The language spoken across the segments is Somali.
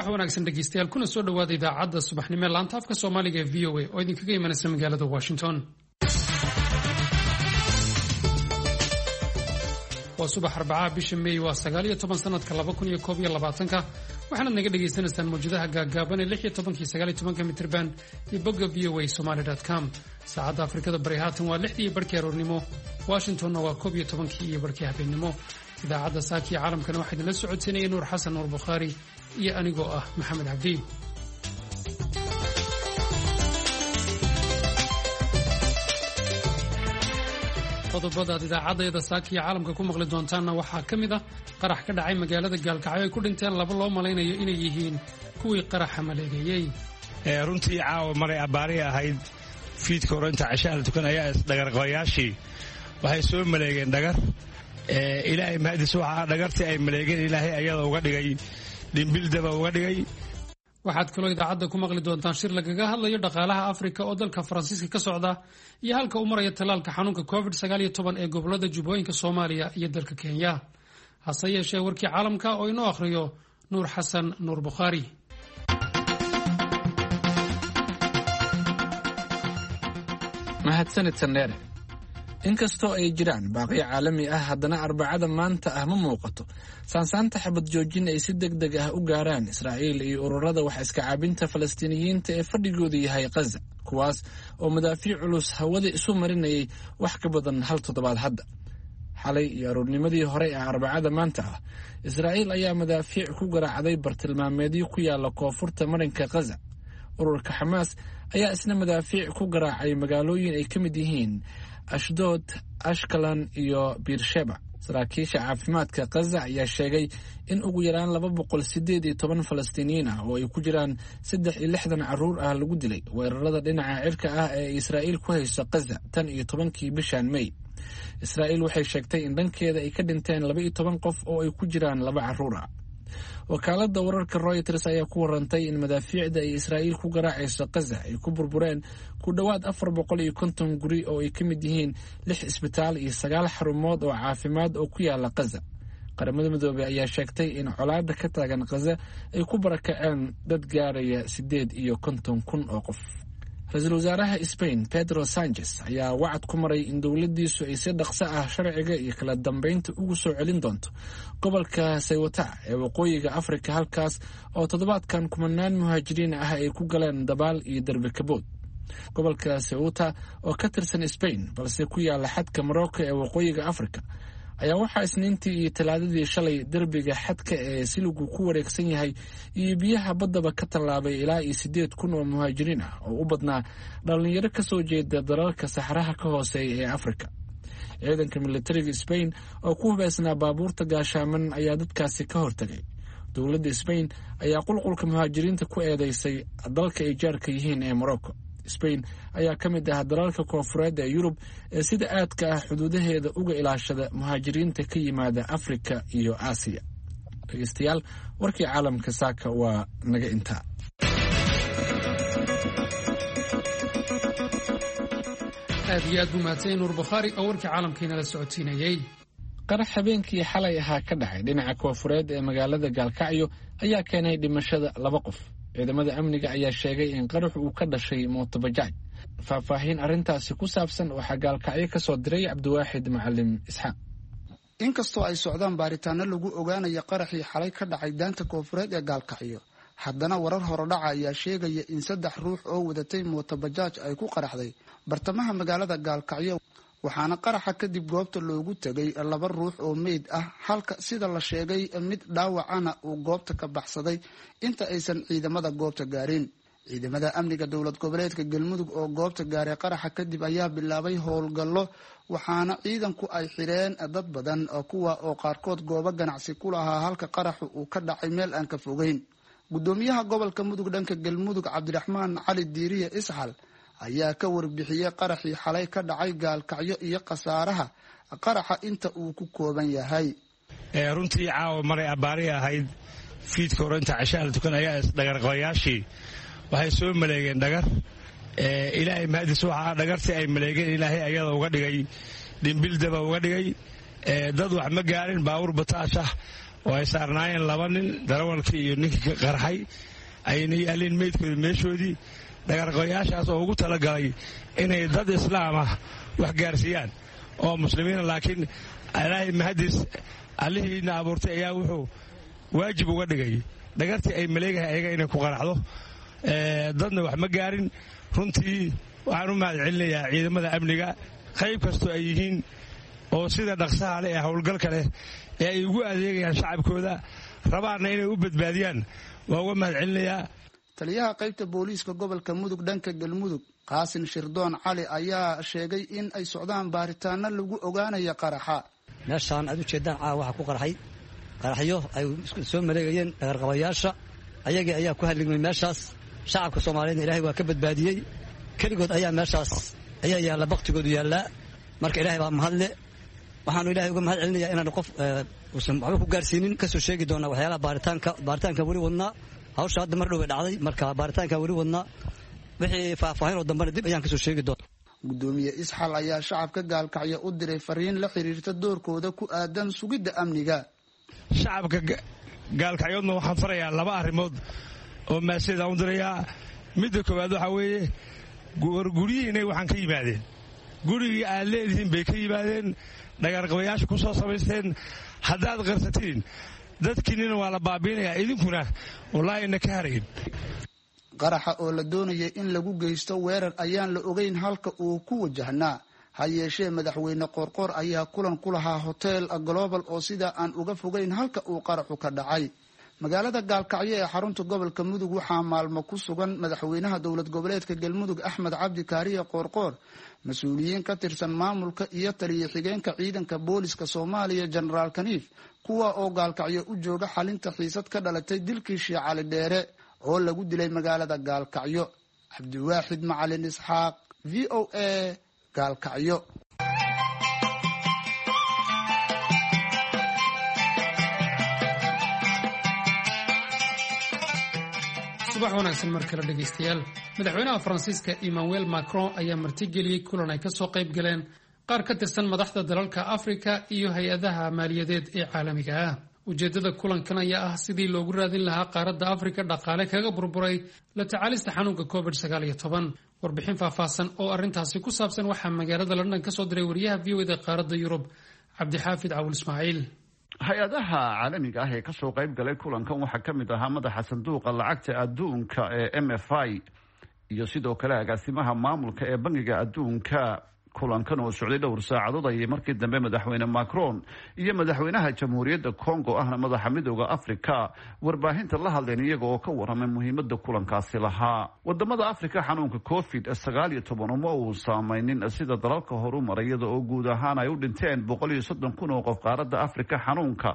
Subax wanaagsan dhegeystayaal, kuna soo dhowaada idaacadda subaxnimo ee laanta afka Soomaaliga ee VOA oo idinkaga imanaysa magaalada Washington. Waa subax Arbacaha, bisha Meey waa 19, sanadka 2021-ka. Waxaanaad naga dhagaysanaysaan mawjadaha gaagaaban ee 16-ka iyo 19-ka mitirban iyo bogga voasomali.com. Saacadda Afrikada Bari haatan waa 6dii iyo barhkii aroornimo, Washingtonna waa 11-kii iyo barhkii habeennimo. Idaacadda saakiyo caalamkana waxaa idinla socodsiinaya Nuur Xasan Nuur Bukhaari iyo anigoo ah Maxamed Cabdi. Qodobada aad idaacadayada saakiyo caalamka ku maqli doontaanna waxaa ka mid ah qarax ka dhacay magaalada Gaalkacyo ay ku dhinteen laba loo malaynayo inay yihiin kuwii qaraxa maleegeeyey. Runtii caawa maray abbaari ahayd fiidka hore inta ceshaha la tukan ayaa isdhagarqabayaashii waxay soo maleegeen dhagar. Ilaahay mahadis, waxaa dhagartii ay maleegeen Ilaahay ayada uga dhigay dhimbildaba uga dhigay. Waxaad kaloo idaacadda ku maqli doontaan shir lagaga hadlayo dhaqaalaha Afrika oo dalka Faransiiska ka socda iyo halka uu maraya tallaalka xanuunka COVID-19 ee gobolada Jubbooyinka Soomaaliya iyo dalka Kenya. Hase yeeshee, warkii caalamka oo inoo akhriyo Nuur Xasan Nuur Bukhaari. Mahadsanid, Sandheere. Inkastoo ay jiraan baaqyo caalami ah, haddana Arbacada maanta ah ma muuqato saansaanta xabad joojin ay si deg deg ah u gaaraan Israa'iil iyo ururada wax iska caabinta Falastiiniyiinta ee fadhigoodu yahay Khaza, kuwaas oo madaafiic culus hawada isu marinayay wax ka badan hal toddobaad hadda. Xalay iyo aroornimadii hore ee Arbacada maanta ah, Israa'iil ayaa madaafiic ku garaacday bartilmaameedyo ku yaala koonfurta marinka Khaza. Ururka Xamaas ayaa isna madaafiic ku garaacay magaalooyin ay ka mid yihiin Ashdood, Ashkalan iyo Biirsheba. Saraakiisha caafimaadka Khaza ayaa sheegay in ugu yaraan 218 Falastiiniyiin ah, oo ay ku jiraan 63 carruur ah, lagu dilay weerarada dhinaca cirka ah ee Israa'iil ku hayso Khaza tan iyo 10-kii bishan Mey. Israa'iil waxay sheegtay in dhankeeda ay ka dhinteen 12 qof oo ay ku jiraan laba carruur ah. Wakaaladda wararka Royters ayaa ku warantay in madaafiicda ay Israa'iil ku garaacayso Khaza ay ku burbureen ku dhowaad 450 guri, oo ay ka mid yihiin lix isbitaal iyo sagaal xarumood oo caafimaad oo ku yaala Khaza. Qaramada Midoobey ayaa sheegtay in colaadda ka taagan Khaza ay ku barakaceen dad gaaraya 58,000 oo qof. Ra-iisul wasaaraha Spain Pedro Sanchez ayaa wacad ku maray in dowladdiisu ay si dhaqso ah sharciga iyo kala dambeynta ugu soo celin doonto gobolka Saywata ee waqooyiga Afrika, halkaas oo toddobaadkan kumanaan muhaajiriin ah ay ku galeen dabaal iyo derbi kabood. Gobolka Ceuta oo ka tirsan Spain balse ku yaala xadka Morocco ee waqooyiga Afrika ayaa waxaa Isniintii iyo Talaadadii shalay derbiga xadka ee siligu ku wareegsan yahay iyo biyaha baddaba ka tallaabay ilaa iyo 8000 oo muhaajiriin ah, oo u badnaa dhallinyaro ka soo jeeda dalalka saxraha ka hooseeya ee Afrika. Ciidanka militariga Sbain oo ku hubeysnaa baabuurta gaashaaman ayaa dadkaasi ka hortagay. Dowladda Sbain ayaa qulqulka muhaajiriinta ku eedeysay dalka ay jaarka yihiin ee Morocco. Sbain ayaa ka mid ah dalalka koonfureed ee Yurub ee sida aadka ah xuduudaheeda uga ilaashada muhaajiriinta ka yimaada Afrika iyo Aasiya. Dhegeystayaal, warkii caalamka saaka waa naga intaa. Aad iyo aad buu mahadsan Nuur Bukhaari oo warkii caalamkiinala socodsiinayey. Qarax habeenkii xalay ahaa ka dhacay dhinaca koonfureed ee magaalada Gaalkacyo ayaa keenay dhimashada laba qof. Ciidamada amniga ayaa sheegay in qarax uu ka dhashay mootobajaaj. Faahfaahin arrintaasi ku saabsan waxaa Gaalkacyo ka soo diray Cabdiwaaxid Macalim Isxaaq. Inkastoo ay socdaan baaritaano lagu ogaanayo qaraxii xalay ka dhacay daanta koonfureed ee Gaalkacyo, haddana warar horodhaca ayaa sheegaya in saddex ruux oo wadatay mootobajaaj ay ku qaraxday bartamaha magaalada Gaalkacyo. Waxaana qaraxa kadib goobta loogu tegay laba ruux oo meyd ah, halka sida la sheegay mid dhaawacana uu goobta ka baxsaday inta aysan ciidamada goobta gaarin. Ciidamada amniga dowlad goboleedka Galmudug oo goobta gaaray qaraxa kadib ayaa bilaabay howlgallo, waxaana ciidanku ay xireen dad badan, kuwa oo qaarkood goobo ganacsi ku lahaa halka qaraxu uu ka dhacay meel aan ka fogeyn. Gudoomiyaha gobolka Mudug dhanka Galmudug, Cabdiraxmaan Cali Diiriye Isxal, ayaa ka warbixiyey qaraxii xalay ka dhacay Gaalkacyo iyo khasaaraha qaraxa inta uu ku kooban yahay. Runtii caawa maray abbaari ahayd fiidka hore inta ceshaha la tukan ayaa isdhagarqabayaashii waxay soo maleegeen dhagar. Ilaahay mahadis, waxaa dhagartii ay maleegeen Ilaahay ayada uga dhigay dhimbildaba uga dhigay. Dad wax ma gaarin, baabuur bataash ah oo ay saarnaayeen 2 nin, darawalkii iyo ninkii qarxay, ayna yaaleen meydkooda meeshoodii. Dhagarqabayaashaas oo ugu talagalay inay dad islaam ah wax gaarsiiyaan oo muslimiina, laakiin ilaahay mahadis allihiina abuurtay ayaa wuxuu waajib uga dhigay dhagartii ay maleegahay ayaga inay ku qaraxdo. Dadna wax ma gaarin. Runtii waxaan u mahad celinayaa ciidamada amniga qayb kastoo ay yihiin oo sida dhaqsaha leh ee howlgalka leh ee ay ugu adeegayaan shacabkooda, rabaanna inay u badbaadiyaan, waa uga mahad celinayaa. Taliyaha qaybta booliiska gobolka Mudug dhanka Galmudug, Qaasin Shirdoon Cali, ayaa sheegay in ay socdaan baaritaano lagu ogaanayo qaraxa. Meeshaan aad u jeedaan caawa waxaa ku qarxay qaraxyo ay soo maleegayeen dhagarqabayaasha. Ayagii ayaa ku halligmay meeshaas. Shacabka Soomaaliyeedna Ilaahay waa ka badbaadiyey. Keligood ayaa meeshaas ayaa yaalla, baktigoodu yaallaa. Marka Ilaahay baa mahadle. Waxaanu Ilahay uga mahad celinayaa inaanu qof uusan waxba ku gaarsiinin. Kasoo sheegi doonaa waxyaalaha baaritaanka weli wadnaa. Hawsha hadda mar dhow bay dhacday, marka baaritaanka weli wadnaa. Wixii faahfaahin oo dambena dib ayaan kasoo sheegi doona. Gudoomiye Isxal ayaa shacabka Gaalkacyo u diray fariin la xiriirta doorkooda ku aadan sugidda amniga. Shacabka Gaalkacyoodna waxaan farayaa 2 arrimood oo maasiyada u dirayaa. Midda koowaad waxaa weeye, warguryihiinay waxaan ka yimaadeen gurigii aad leedihiin bay ka yimaadeen, dhagarqabayaasha ku soo samaysteen. Haddaad qarsatiin dadkiinnina waa la baabiinayaa, idinkuna wallaahi ina ka harayn. Qaraxa oo la doonayay in lagu geysto weerar ayaan la ogeyn halka uu ku wajahnaa. Ha yeeshee madaxweyne Qoorqoor ayaa kulan ku lahaa Hotel Global oo sidaa aan uga fogeyn halka uu qaraxu ka dhacay. Magaalada Gaalkacyo ee xarunta gobolka Mudug waxaa maalmo ku sugan madaxweynaha dowlad goboleedka Galmudug Axmed Cabdi Kaariye Qoorqoor, mas-uuliyiin ka tirsan maamulka iyo taliye xigeenka ciidanka booliska Soomaaliya Jenaraal Kaniif, kuwa oo Gaalkacyo u jooga xalinta xiisad ka dhalatay dilkii Sheekh Cali Dheere oo lagu dilay magaalada Gaalkacyo. Cabdiwaaxid Macalin Isxaaq, VOA, Gaalkacyo. Subax wanaagsan mar kale dhegaystayaal. Madaxweynaha Faransiiska Emmanuel Macron ayaa martigeliyey kulan ay kasoo qayb galeen qaar ka tirsan madaxda dalalka Afrika iyo hay-adaha maaliyadeed ee caalamiga ah. Ujeeddada kulankan ayaa ah sidii loogu raadin lahaa qaaradda Afrika dhaqaale kaga burburay la tacaalista xanuunka COVID-19. Warbixin faahfaahsan oo arrintaasi ku saabsan waxaa magaalada London kasoo diray wariyaha VOA da qaaradda Yurub, Cabdixaafid Cawul Ismaaciil. Hay-adaha caalamiga ah ee kasoo qayb galay kulankan waxaa ka mid ahaa madaxa sanduuqa lacagta adduunka ee MFI iyo sidoo kale agaasimaha maamulka ee Bangiga Adduunka. Kulankan oo socday dhowr saacadood ayay markii dambe madaxweyne Macron iyo madaxweynaha Jamhuuriyadda Congo ahna madaxa Midooda Afrika warbaahinta la hadleen, iyaga oo ka waramay muhiimada kulankaasi lahaa. Wadamada Afrika xanuunka COVID-19 uma uu saameynin sida dalalka horumaray, iyada oo guud ahaan ay u dhinteen 130,000 oo qof qaaradda Afrika xanuunka,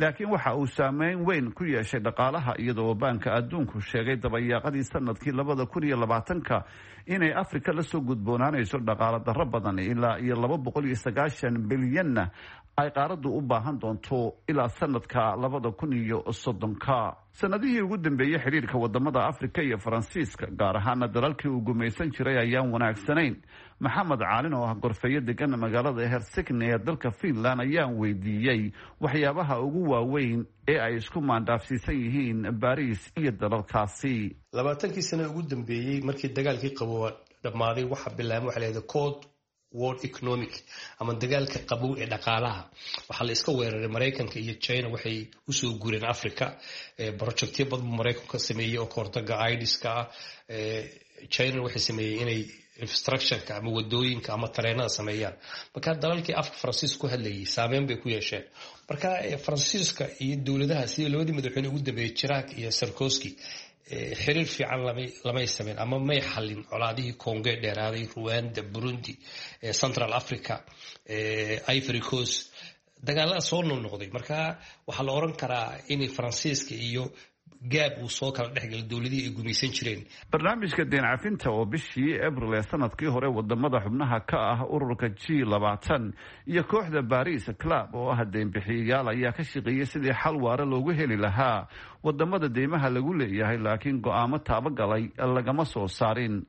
laakiin waxa uu saameyn weyn ku yeeshay dhaqaalaha, iyadoo Baanka Adduunku sheegay dabayaaqadii sanadkii 2020-ka inay Afrika lasoo gudboonaanayso dhaqaalo darro badan, ilaa iyo 290 bilyanna ay qaaraddu u baahan doonto ilaa sanadka 2030-ka. Sanadihii ugu dambeeyey xidhiirka wadamada Afrika iyo Faransiiska, gaar ahaana dalalkii uu gumaysan jiray, ayaan wanaagsanayn. Maxamed Caalin oo ah gorfeeyo degan magaalada Helsinki ee dalka Finland ayaan weydiiyey waxyaabaha ugu waaweyn ee ay isku maandhaafsiisan yihiin Baris iyo dalalkaasi. 20kii sano ugu dambeeyey markii dagaalkii qabow dhammaaday, waxaa bilaabmay waxa la yidhahda Cold War economic ama dagaalka qabow ee dhaqaalaha. Waxaa la iska weeraray Maraykanka iyo China. Waxay usoo guureen Africa. Projectyo badan buu Maraykanku ka sameeyey oo kahortaga idiska ah. China waxay sameeyey inay infrastructureka ama wadooyinka ama tareenada sameeyaan. Marka dalalkii afka Faransiiska ku hadlayay saameyn bay ku yeesheen. Marka Faransiiska iyo dowladaha sida labadii madaxweyne ugu dambeeyey, Chirac iyo Sarkozy, xiriir fiican lamay sameyn ama may xallin colaadihii Congo dheeraaday, Rwanda, Burundi, Central Africa, Ivory Coast, dagaalada soo noqnoqday. Marka waxaa la oran karaa inay Faransiiska iyo gaab uu soo kala dhexgalay dowladihii ay gumaysan jireen. Barnaamijka deen cafinta oo bishii Abril ee sanadkii hore wadamada xubnaha ka ah ururka G20 iyo kooxda Paris Club oo ah deynbixiyayaal ayaa ka shaqeeyey sidii xal waara loogu heli lahaa wadamada deymaha lagu leeyahay, laakiin go-aamo taabagalay lagama soo saarin.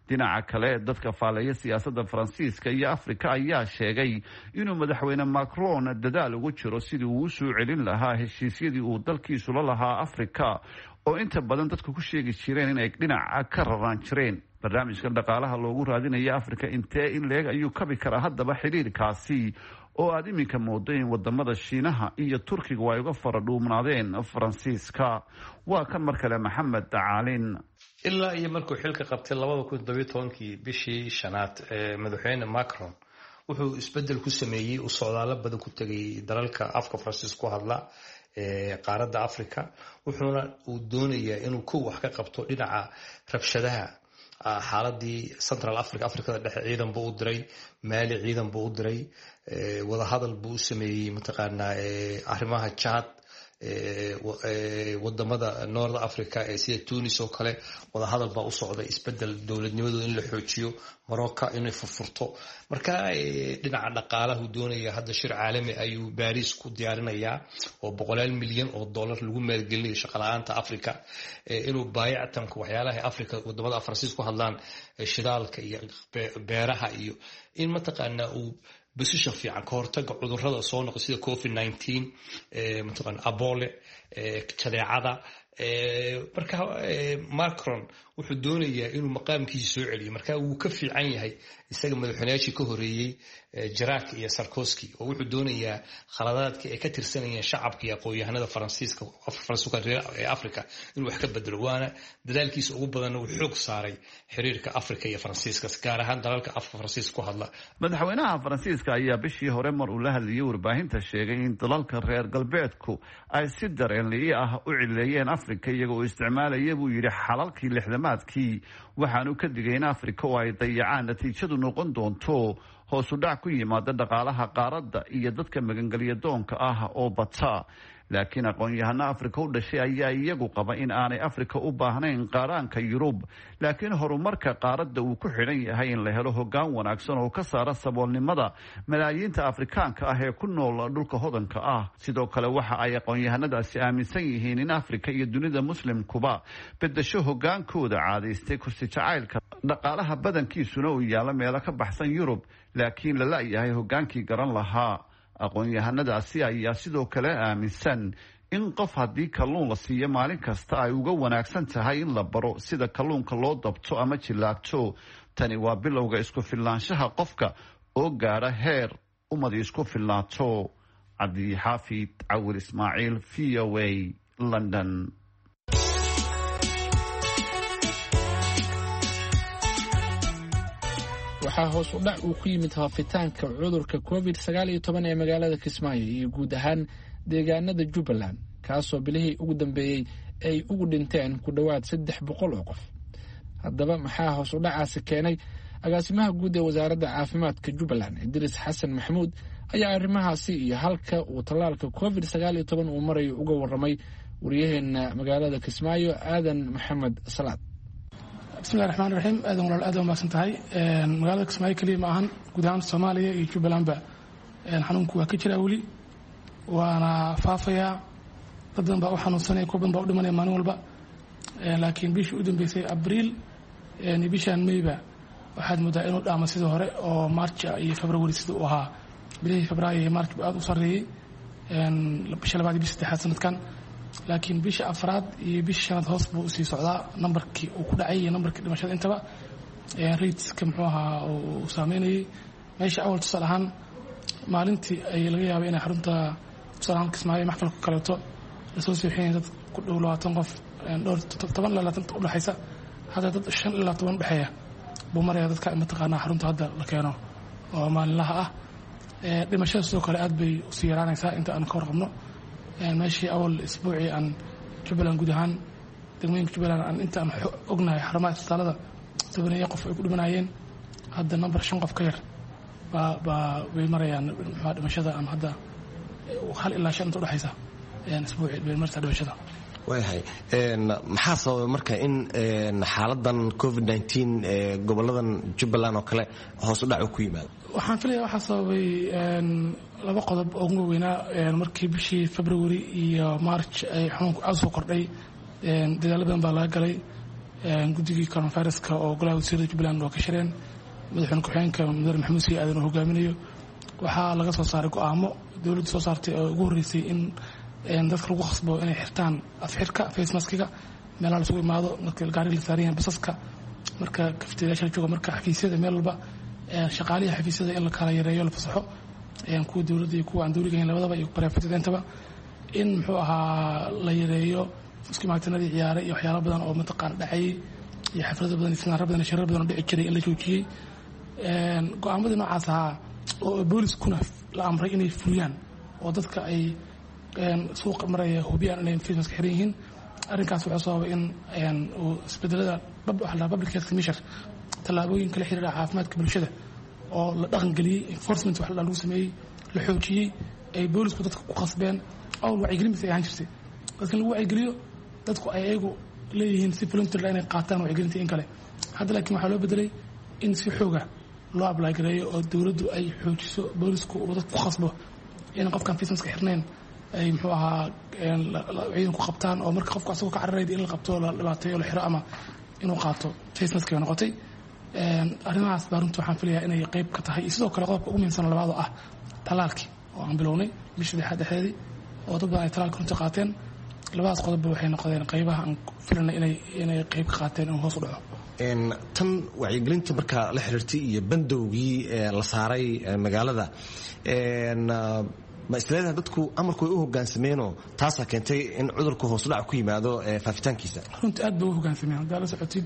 Dhinaca kale, dadka faaleeya siyaasadda Faransiiska iyo Afrika ayaa sheegay inuu madaxweyne Macron dadaal ugu jiro sidii uu u soo celin lahaa heshiisyadii uu dalkiisu la lahaa Afrika, oo inta badan dadku ku sheegi jireen inay dhinaca ka raraan jireen. Barnaamijkan dhaqaalaha loogu raadinaya Afrika intee in leeg ayuu kabi karaa haddaba xidhiirkaasi, oo aada iminka moodo in wadamada Shiinaha iyo Turkigu ay uga fara dhuumnaadeen Faransiiska? Waa kan mar kale Maxamed Caalin. Ilaa iyo markuu xilka qabtay 2017-kii bishii shanaad, madaxweyne Macron wuxuu isbedel ku sameeyey, uu socdaalo badan ku tegay dalalka afka Faransiis ku hadla qaaradda Africa, wuxuuna uu doonayaa inuu kow wax ka qabto dhinaca rabshadaha, xaaladii Central Africa, Africada Dhexe. Ciidan buu u diray Maali, ciidan buu u diray, wadahadal buu u sameeyey mataqaanaa arrimaha Chad, wadamada North Africa ee sida Tunis oo kale wadahadal baa u socday, isbedel dowladnimadooda in la xoojiyo, Morocco inay furfurto. Marka dhinaca dhaqaalahu doonaya, hadda shir caalami ayuu Baris ku diyaarinayaa oo boqolaal milyan oo dollar lagu maalgelinayo shaqala-aanta Africa, inuu baayactanka waxyaalaha Africa, wadamada Faransiis ku hadlaan, shidaalka iyo beeraha, iyo in mataqaanaa uu position fiican ka hortaga cudurrada soo noqo sida COVID-19, mataqaana abole, jadeecada. Marka Macron wuxuu doonayaa inuu maqaamkiisa soo celiyo. Marka wuu ka fiican yahay isaga madaxweynayaashii ka horeeyey, Chirac iyo Sarkozy, oo wuxuu doonayaa khaladaadkii ay ka tirsanayeen shacabka iyo aqoon-yahanada Faransiiska, Faransiiska ee Africa, inuu wax ka bedelo. Waana dadaalkiisa ugu badanna uu xoog saaray xiriirka Africa iyo Faransiiska, gaar ahaan dalalka afka Faransiiska ku hadla. Madaxweynaha Faransiiska ayaa bishii hore mar uu la hadlayay warbaahinta sheegay in dalalka reer galbeedku ay si dareenli'i ah u cileeyeen Afrika, iyaga oo isticmaalaya, buu yidhi, xalalkii lixdamaadkii. Waxaanu ka digay in Afrika oo ay dayacaan natiijadu noqon doonto hoos u dhac ku yimaada dhaqaalaha qaaradda iyo dadka magangelya doonka ah oo bata. Laakiin aqoon-yahano Afrika u dhashay ayaa iyagu qaba in aanay Afrika u baahnayn qaaraanka Yurub, laakiin horumarka qaaradda uu ku xidhan yahay in la helo hoggaan wanaagsan oo ka saara saboolnimada malaayiinta Afrikaanka ah ee ku nool dhulka hodanka ah. Sidoo kale waxa ay aqoon-yahanadaasi aaminsan yihiin in Afrika iyo dunida Muslimkuba bedesho hoggaankooda caadaystay kursi jacaylka, dhaqaalaha badankiisuna uu yaalo meelo ka baxsan Yurub, laakiin la la-yahay hoggaankii garan lahaa. Aqoon-yahanadaasi ayaa sidoo kale aaminsan in qof haddii kalluun la siiyo maalin kasta ay uga wanaagsan tahay in la baro sida kalluunka loo dabto ama jillaabto. Tani waa bilowga isku filnaanshaha qofka oo gaadha heer ummadi isku filnaato. Cabdixaafid Cawil Ismaaciil, V O A, London. Waxaa hoos u dhac uu ku yimid faafitaanka cudurka COVID-19 ee magaalada Kismaayo iyo guud ahaan deegaanada Jubbaland, kaasoo bilihii ugu dambeeyey ay ugu dhinteen ku dhowaad 300 oo qof. Haddaba maxaa hoos u dhacaasi keenay? Agaasimaha guud ee wasaaradda caafimaadka Jubbaland, Idriis Xasan Maxamuud, ayaa arrimahaasi iyo halka uu tallaalka COVID-19 uu marayo uga warramay wariyaheena magaalada Kismaayo, Aadan Maxamed Salaad. Bismillahi raxmaan raxiim. Aadan walaal, aad umahadsan tahay. Magaalada Kismaayo keliya ma ahan, guud ahaan Soomaaliya iyo Jubbalandba xanuunku waa ka jiraa weli, waana faafayaa. Dad badan baa u xanuunsanaya, kuwa badan baa u dhimanaya maalin walba. Laakiin bishii u dambeysay Abriil iyo bishaan Mayba waxaad moodaa inuu dhaamo sidii hore oo March iyo February sida uu ahaa. Bilihii Febraayo iyo March buu aad u sarreeyey, bisha labaad iyo bisha saddexaad sanadkan. Laakiin bisha afraad iyo bisha shanaad hoos buu usii socdaa nambarkii uu ku dhacay iyo nambarkii dhimashada intaba, rateska muxuu ahaa uu saameynayay. Meesha awal tusaale ahaan maalintii ay laga yaabay inay xarunta, tusaale ahaan Kismaayo maxfalka kaleeto, lasoo seexinaya dad ku dhow 20 qof, dhowr toban ilaa 20 udhexaysa, hadda dad 5 ilaa 10 udhexeeya buu maraya dadka mataqaanaa xarunta hadda la keeno oo maalinlaha ah. Dhimashada sidoo kale aad bay usii yaraanaysaa inta aan ka warqabno. Meeshii awal isbuucii aan Jubbaland guud ahaan degmooyinka Jubbaland aan inta aan ognahay xarumaha isbitaalada tobaneeyo qof ay ku dhimanayeen, hadda nambar shan qof ka yar baa bay marayaan. Muxuu dhimashada aan hadda 1 ilaa 5 inta udhexaysa isbuucii bay martaa dhimashada. Waayahay, maxaa sababay marka in xaaladan COVID-19 ee goboladan Jubbaland oo kale hoos u dhac ku yimaado? Waxaan filaya waxaa sababay laba qodob oo ugu waaweynaa. Markii bishii February iyo March ay xanuunku aad soo kordhay, dadaalo badan baa laga galay. Guddigii coronaviruska oo golaha wasiirada Jubbaland waa ka shireen, madaxweyne ku-xigeenka Mudane Maxamuud Sii Aadan uu hogaaminayo. Waxaa laga soo saaray go-aamo dowladdu soo saartay oo ugu horreysay in dadka lagu khasbo inay xirtaan afxirka, face maskiga, meelaha lasugu imaado, marka gaariga la saaran yahay, basaska, marka kafteeyaasha la joogo, marka xafiisyada, meel walba, shaqaalihii xafiisyada in la kala yareeyo, la fasaxo, kuwa dowladda iyo kuwa aan dowliga ahayn labadaba iyo private-intaba, in muxuu ahaa la yareeyo isku imaatinadii ciyaaray iyo waxyaalo badan oo mataqaana dhacayay iyo xaflado badan iyo sinaaro badan iyo shirar badan oo dhici jiray in la joojiyey. Go-aamadii noocaas ahaa oo booliskuna la amray inay fuliyaan oo dadka ay suuqa maraya hubiyaan inay face mask xiran yihiin. Arrinkaas wuxuu sababay in uu isbedelada waxa la public health measure, tallaabooyinka la xiriira caafimaadka bulshada oo la dhaqangeliyey, enforcement wax lagu sameeyey, la xoojiyey, ay boolisku dadka ku khasbeen. Awl wacyigelin bas ay ahaan jirtay, dadka in lagu wacyigeliyo, dadku ay ayagu leeyihiin si voluntarily inay qaataan wacyigelinta in kale. Hadda laakiin waxaa loo bedelay in si xooga loo apply gareeyo oo dowladdu ay xoojiso, boolisku uu dadka ku khasbo in qofkaan face mask xirnayn ay muxuu ahaa ciidanku qabtaan, oo marka qofku asagoo ka cararayda in la qabto, la dhibaateeyo, la xiro ama inuu qaato face mask bay noqotay. Arrimahaas baa runtii waxaan filayaa inay qayb ka tahay. Iyo sidoo kale qodobka ugu muhiimsan labaad oo ah talaalkii oo aan bilownay bishii saddexaad dhexdeedii oo dad badan ay talaalka runtii qaateen. Labadaas qodobba waxay noqdeen qaybaha aan filanay inay qayb ka qaateen inuu hoos u dhaco. Tan wacyigelinta markaa la xiriirtay iyo bandowgii la saaray magaalada, ma isleedahay dadku amarku way u hogaansameenoo taasaa keentay in cudurku hoosudhac ku yimaado faafitaankiisa? Runtii aad bay u hogaansameen haddaa la socotid.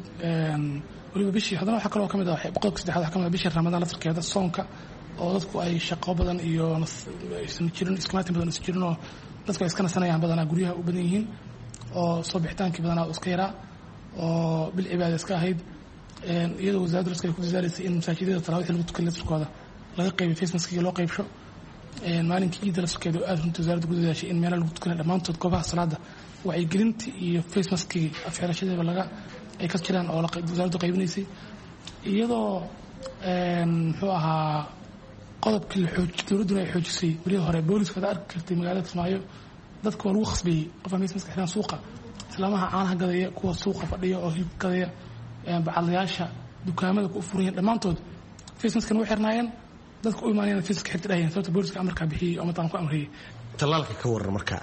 Weliba bishii haddana waxaa kaloo ka mid ah, qodobka saddexaad waxaa ka mid ah bishii Ramadaan laftarkeeda, soonka oo dadku ay shaqo badan iyo aysan jirin, iskumaatin badan aysan jirin, oo dadku ay iska nasanayaan, badanaa guryaha u badan yihiin, oo soo bixitaankii badanaa iska yaraa, oo bil cibaada iska ahayd, iyadoo wasaaradda raska ay ku dadaalaysay in masaajidada taraawixda lagu tukan laftarkooda laga qaybiyo face maskiga, loo qaybsho. Maalinkii ciidda laftarkeeda oo aad runtii wasaaradda ku dadaashay in meelaha lagu tukanay dhammaantood goobaha salaada wacyigelinta iyo face maskigii afxirashadiiba laga ay ka jiraan oo wasaaraddu qaybinaysay, iyadoo muxuu ahaa qodobkii la xooj dowladduna ay xoojisay berihii hore booliska. Hada arki kartay magaalada Kismaayo, dadka waa lagu khasbeeyey qof aan face mask xiraan suuqa, islaamaha caanaha gadaya, kuwa suuqa fadhiya oo hilib gadaya, bacadlayaasha, dukaamada ku furan yihiin, dhammaantood face maskana way xirnaayeen, dadka u imaanayaan face mask xirta dhahayeen, sababta booliska amarkaa bixiyey oo mataan ku amriyey. Tallaalka ka waran marka,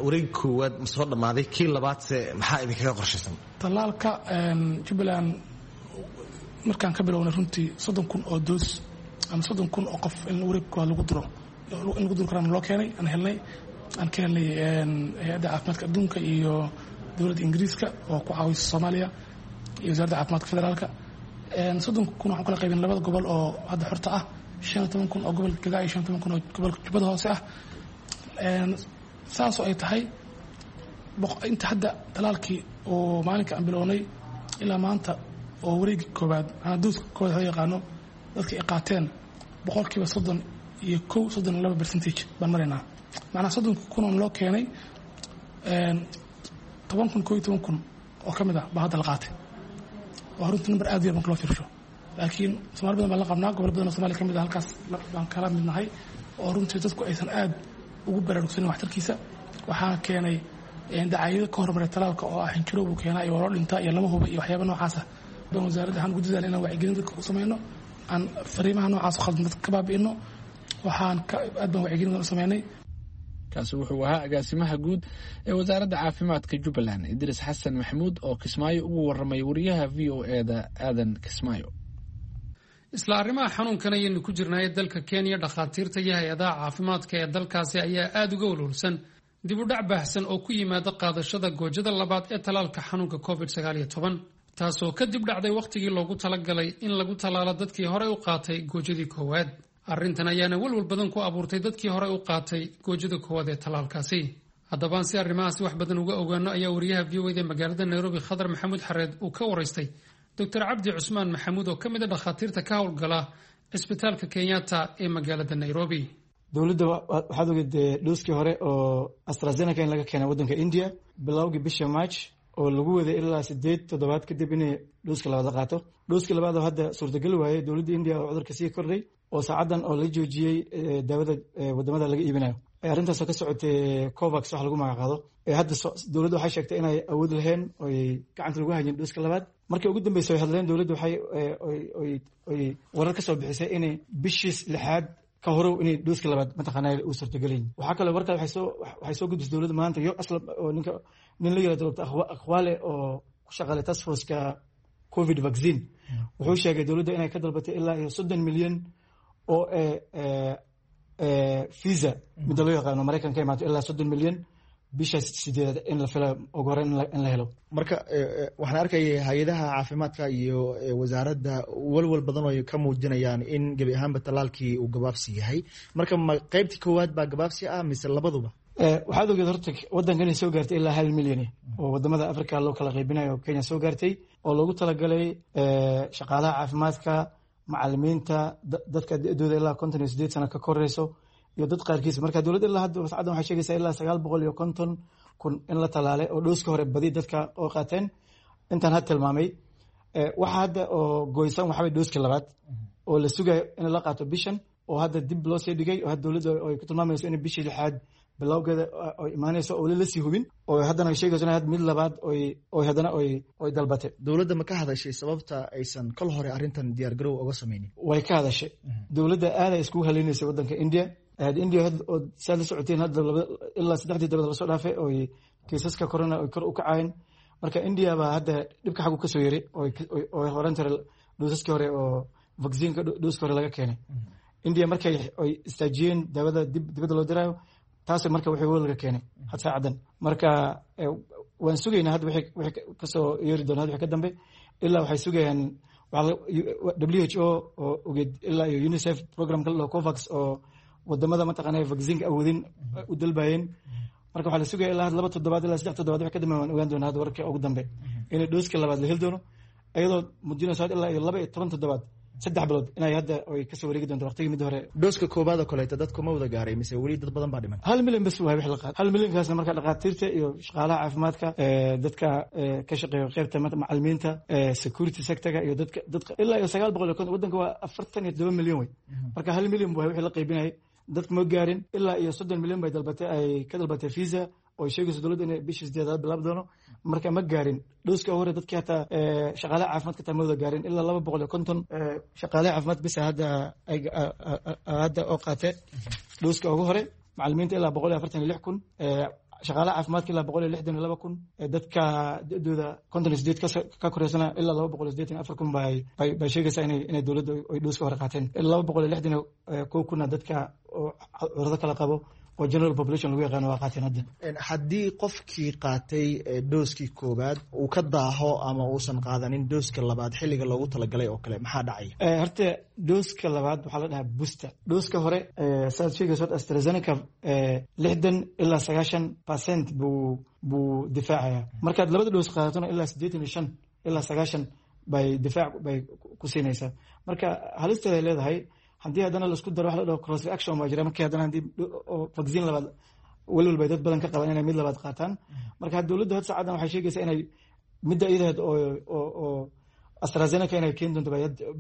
wareegi koowaad ma soo dhammaaday? Kii labaadse maxaa idinkaga qorshaysan? Tallaalka Jubbaland markaan ka bilownay runtii 30,000 oo doos ama 30,000 oo qof in wareeg koowaad lagu duro in lagu duri karaan loo keenay, aan helnay, aan ka helnay Hay-adda Caafimaadka Adduunka iyo dowladda Ingiriiska oo ku caawisa Soomaaliya iyo Wasaaradda Caafimaadka Federaalka. 30,000 waxaan kala qaybin labada gobol oo hadda xorta ah, 15,000 oo gobolka Gadaa iyo 15,000 oo gobolka Jubbada Hoose ah. Saasoo ay tahay, inta hadda talaalkii oo maalinka aan bilownay ilaa maanta oo wareegi koowaad, manaa dooska koowaad loo yaqaano, dadka ay qaateen 31%, 32% baan maraynaa. Macnaa 30,000 oo loo keenay, 10,000, 11,000 oo ka mid ah baa hadda la qaatay. Waa runtii number aad u yar marka loo fiirsho, laakiin Somaali badan baan la qabnaa, gobol badan oo Somalia ka mid ah halkaas baan kala midnahay, oo runtii dadku aysan aad ugu baraarugsanin waxtarkiisa. Waxaa keenay dacaayado ka hormaray talaalka oo ah xinjiro buu keenaa iyo waa loo dhintaa iyo lama huba iyo waxyaaba noocaasa baan wasaaradda waxaan ugu dadaala inaan wacyigelin dadka u samayno, aan fariimaha noocaas khaldan dadka ka baabi'ino. Waxaan aad baan wacyigelin badan u sameynay. Kaasi wuxuu ahaa agaasimaha guud ee Wasaaradda Caafimaadka Jubbaland, Idriis Xasan Maxamuud, oo Kismaayo ugu waramay wariyaha VOA-da Aadan Kismaayo. Isla arrimaha xanuunkan ayaynu ku jirnaaye, dalka Kenya dhakhaatiirta iyo hay-adaha caafimaadka ee dalkaasi ayaa aada uga walwalsan dib u dhac baahsan oo ku yimaada qaadashada goojada labaad ee talaalka xanuunka COVID-19, taasoo kadib dhacday wakhtigii loogu talagalay in lagu tallaalo dadkii horey u qaatay goojadii koowaad. Arrintan ayaana walwal badan ku abuurtay dadkii horey u qaatay goojada koowaad ee tallaalkaasi. Haddabaan si arrimahaasi wax badan uga ogaano ayaa wariyaha VOA-da magaalada Nairobi, Khadar Maxamuud Xareed, uu ka waraystay Doctor Cabdi Cusmaan Maxamuud oo ka mid a dhakhaatiirta ka howlgala cisbitaalka Kenyatta ee magaalada Nairobi. Dowladda waxaad ogeed dhooskii hore oo AstraZeneca in laga keenay waddanka India bilowgii bisha March, oo lagu waday ilaa 8 toddobaad kadib inay dhooska labaad la qaato. Dhooskii labaad oo hadda suurtagal waayey dowladda India oo cudurka sii kordhay, oo saacaddan oo la joojiyey daawada wadamada laga iibinayo. Arrintaasoo ka socotay COVAX wax lagu magacaabo. Hadda dowladda waxay sheegtay inay awood lahayn oy gacanta lagu hayeen dhooska labaad. Markii ugu dambeysay ay hadleen, dowladda waxay oy warar ka soo bixisay inay bishii lixaad ka horow inay dhooska labaad mataqaanaa uu suurtagelayn. Waxaa kaloo war kale waxay soo gudbisay dowladda maanta yo asla oo ninka nin la yirahdo Dr. Akhwale oo ku shaqaalay task force-ka COVID vaccine, wuxuu sheegay dowladda inay ka dalbatay ilaa iyo 30 milyan oo visa midda loo yaqaano Maraykanka ka imaato, ilaa 30 milyan bisha sideedaad in la filayo ugu horreyn in la helo. Marka waxaan arkayay hay-adaha caafimaadka iyo wasaaradda walwal badan oo ay ka muujinayaan in gebi ahaanba tallaalkii uu gabaabsi yahay. Marka ma qeybtii koowaad baa gabaabsi ah mise labaduba? Waxaad ogeed horta waddanka inay soo gaartay ilaa 1 milyan oo wadamada Africa loo kala qaybinayo oo Kenya soo gaartay, oo loogu talagalay shaqaalaha caafimaadka, macalimiinta, dadka da-dooda ilaa 58 sano ka koreyso iyo dad qaarkiis. Marka dowladda ilaa hadda wasacaddan waxay sheegaysaa ilaa 950,000 in la talaalay oo dhooska hore badi dadka oo qaateen intaan had tilmaamay. Waxa hadda oo goysan waxaa way dhooska labaad oo la sugayo in la qaato bishan, oo hadda dib loo sii dhigay, oo hadda dowladda ay ku tilmaamayso in bishii lixaad bilowgeeda ay imaanayso oo weli lasii hubin, oo haddana ay sheegayso in had mid labaad oy haddana oy dalbatay. Dowladda ma ka hadashay sababta aysan kol hore arrintan diyaargarow oga sameynin? Way ka hadashay dowladda. Aaday iskugu haleynaysay waddanka India. India oo saad la socoteen hadda ilaa saddexdii dabad lasoo dhaafay oy kiisaska corona oy kor u kacayeen. Marka India baa hadda dhibka xaggu kasoo yaray oo horan tara dhoosaskii hore oo vaccineka dhooska hore laga keenay India markay oy istaajiyeen daawada dib dibadda loo diraayo, taas marka wixii welwalka keenay had saacadan. Marka waan sugaynaa hadda wixii kasoo yeeri doona. Hadda wixii ka dambe ilaa waxay sugayaan WHO oo ogeed ilaa iyo UNICEF programka la dhaho COVAX oo wadamada mataqaanaa vaccineka awoodin u dalbayeen. Marka waxaa la sugaya ilaa 2 toddobaad ilaa 3 toddobaad wixii ka dambe waan ogaan doonaa hadda wararka ugu dambe inay dhooska labaad la heli doono, iyadoo muujinayso had ilaa iyo 12 toddobaad, 3 bilood inay hadda ay kasoo wareegi doonto waqtigii midda hore. Dhooska koowaad oo kaleeto dadku ma wada gaaray mise weli dad badan baa dhiman? 1 milyan bas waay wix la qaad. 1 milyankaasna marka dhakhaatiirta iyo shaqaalaha caafimaadka, dadka ka shaqeeya qeybta macalimiinta, security sectorga iyo dadka ilaa iyo 950. Waddanka waa 47 milyan wey. Marka 1 milyan waay wixii la qaybinayay, dadka ma gaarin. Ilaa iyo 30 milyan bay dalbatay, ay ka dalbatay visa oo ay sheegayso dowladda inay bishii sideedaad bilaab doono. Marka ma gaarin dhooska hore dadkii, hataa shaqaalaha caafimaadka taa ma wada gaarin. Ilaa 250 shaqaalaha caafimaad bisa hadda oo qaate dhooska ugu hore, macalimiinta ilaa 146,000, shaqaalaha caafimaadka ilaa 162,000, dadka da-dooda 58 ka koreysana ilaa 284,000 bay sheegaysaa inay dowladda ay dhooska hore qaateen. 261 kunna dadka oo cudurro kala qabo oo general population lagu yaqaano waa qaateen hadda. Haddii qofkii qaatay dooskii koowaad uu ka daaho ama uusan qaadanin dooska labaad xilliga loogu talagalay oo kale, maxaa dhacaya? Horta dooska labaad waxaa la dhahaa booster. Dooska hore saad sheegayso horta AstraZeneca 60 ilaa 90% buu difaacaya. Markaad labada dhoos qaadatona ilaa 85 ilaa 90 bay difaac bay ku siinaysaa. Marka halisteeda ay leedahay haddii haddana laisku daro wax la dhaho cross reaction baa jira. Markii haddana haddii vaccine labaad, welwel bay dad badan ka qabaan inay mid labaad qaataan. Marka dowladda had saacadan waxay sheegaysaa inay midda iyadaheed oo AstraZeneca inay keeni doonto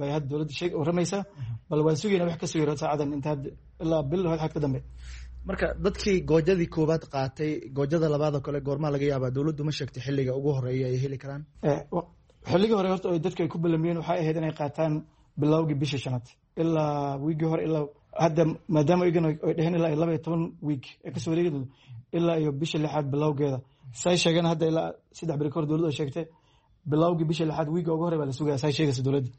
bay had dowladda sheeg warramaysaa. Bal waan sugayna wax kasoo yaro saacadan inta had ilaa bil xad ka dambe. Marka dadkii goojadii koowaad qaatay, goojada labaad oo kale goormaa laga yaabaa? Dowladdu ma sheegtay xilliga ugu horeeya ay heli karaan? Xilligii hore horta dadka ay ku ballamiyeen waxay ahayd inay qaataan bilowgii bishii shanaad ilaa wiigii hore. Ilaa hadda maadaama iyagan ay dheheen ilaa iyo 12 wiig ay kasoo wareegi doonto ilaa iyo bisha lixaad bilowgeeda, say sheegeen hadda ilaa 3 beri kahor dowladda ay sheegtay bilowgii bisha lixaad wiigga ugu hore baa la sugaya, say sheegaysa dowladda.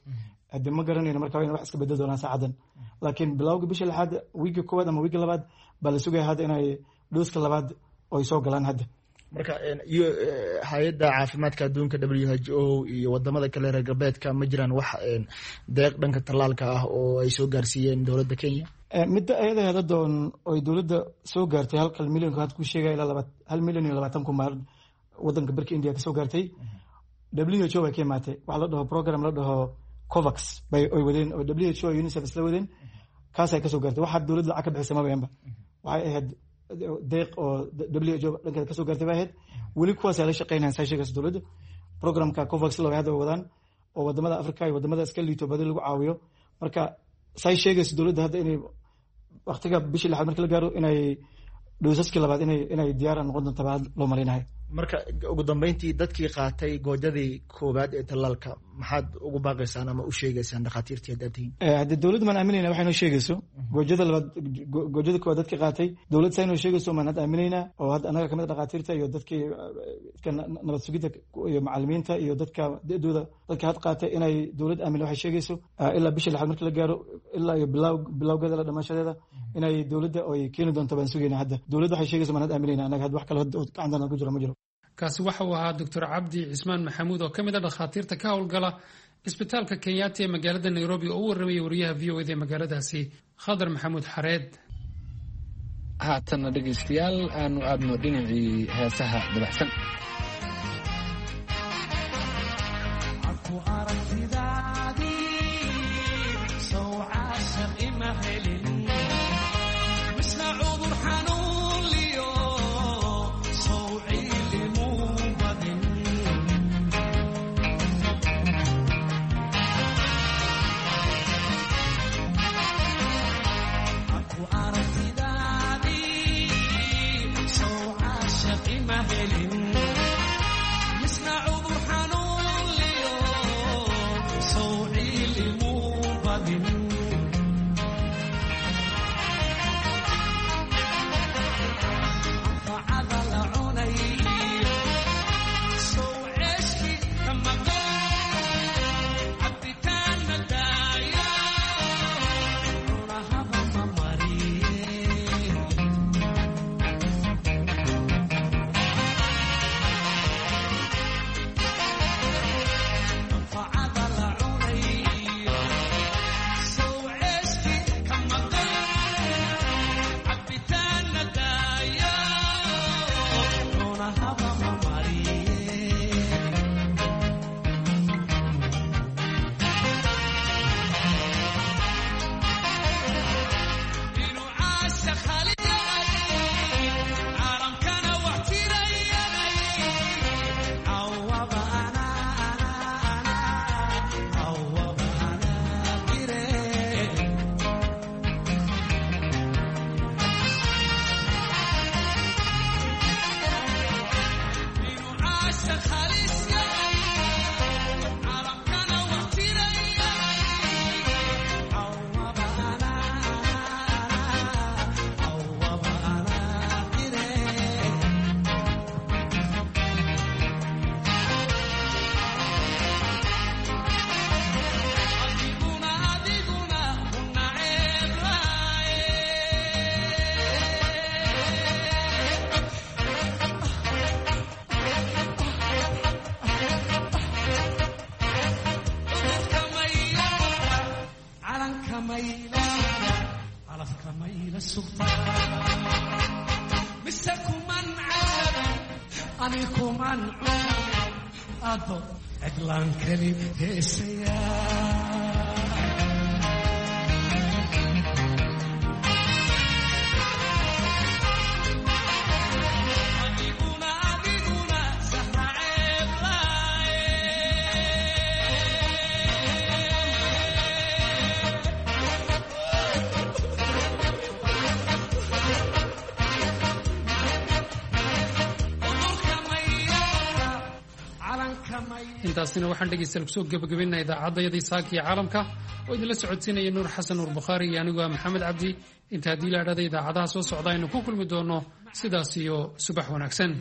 Hadde ma garanayno marka waa in wax iska bedel doonaan saacadan, laakiin bilowgii bisha lixaad wiigga koowaad ama wiigga labaad baa la sugaya hadda inay dhooska labaad oy soo galaan hadda. Marka iyo hay-adda caafimaadka adduunka WHO iyo wadamada kale reer galbeedka ma jiraan wax deeq dhanka tallaalka ah oo ay soo gaarsiiyeen dowladda Kenya? Midda ayada hadadoon oy dowladda soo gaartay halkal milyanka had ku sheegaya ilaa 1,020,000 baa wadanka barka India kasoo gaartay. WHO bay ka imaatay. Waxa la dhaho program la dhaho COVAX bay oy wadeen oo WHO, UNICEF isla wadeen, kaasay kasoo gaartay. Waxaa dowladda lacag ka bixisay mabayanba, waxay ahayd deeq oo WHO dhankeeda kasoo gaartay bay ahayd. Weli kuwaas ay la shaqeynayaan saa sheegaysa dowladda. Programka COVAX loo hadda wadaan oo wadamada Africa iyo wadamada iska liito badi lagu caawiyo. Marka say sheegaysa dowladda hadda inay waqtiga bishii lixaad marka la gaaro inay Dhowsaskii labaad inay diyaar noqon doonta baa loo malaynahay. Marka ugu dambeyntii, dadkii qaatay goojadii koowaad ee tallaalka maxaad ugu baaqaysaan ama u sheegaysaan dhakhaatiirtii haddaad tihiin? Haddii dowladda maan aaminayna waxay noo sheegayso goojada labaad. Goojada koowaad dadkii qaatay, dowladda saa inoo sheegayso maan hadda aaminaynaa, oo hadda annaga kamid a dhakhaatiirta iyo dadkii dadka nabad sugidda iyo macalimiinta iyo dadka da-dooda, dadka had qaatay, inay dowladda aamin waxay sheegayso ilaa bisha lixaad marka la gaaro, ilaa iyo bilaw bilawgeeda la dhamaashadeeda inay dowladda ay keeni doonto baan sugayna. Hadda dowladda waxay sheegayso maan hadda aaminayna annaga. Hadda wax kale hadda gacantana ku jiro ma jiro. Kaasi waxa uu ahaa Doctor Cabdi Cismaan Maxamuud oo ka mid a dhakhaatiirta ka howlgala cisbitaalka Kenyatta ee magaalada Nairobi, oo u warramayay wariyaha VOA da ee magaaladaasi, Khadar Maxamuud Xareed. Haatanna dhegaystayaal, aanu aadno dhinacii heesaha dabacsan. Intaasina waxaan dhegaystayaal kusoo gebagabaynaa idaacadayadii saaka iyo caalamka, oo idinla socodsiinaya Nuur Xasan Nuur Bukhaari iyo anigu ah Maxamed Cabdi. Inta haddii la idhahda idaacadaha soo socda aynu ku kulmi doono, sidaas iyo subax wanaagsan.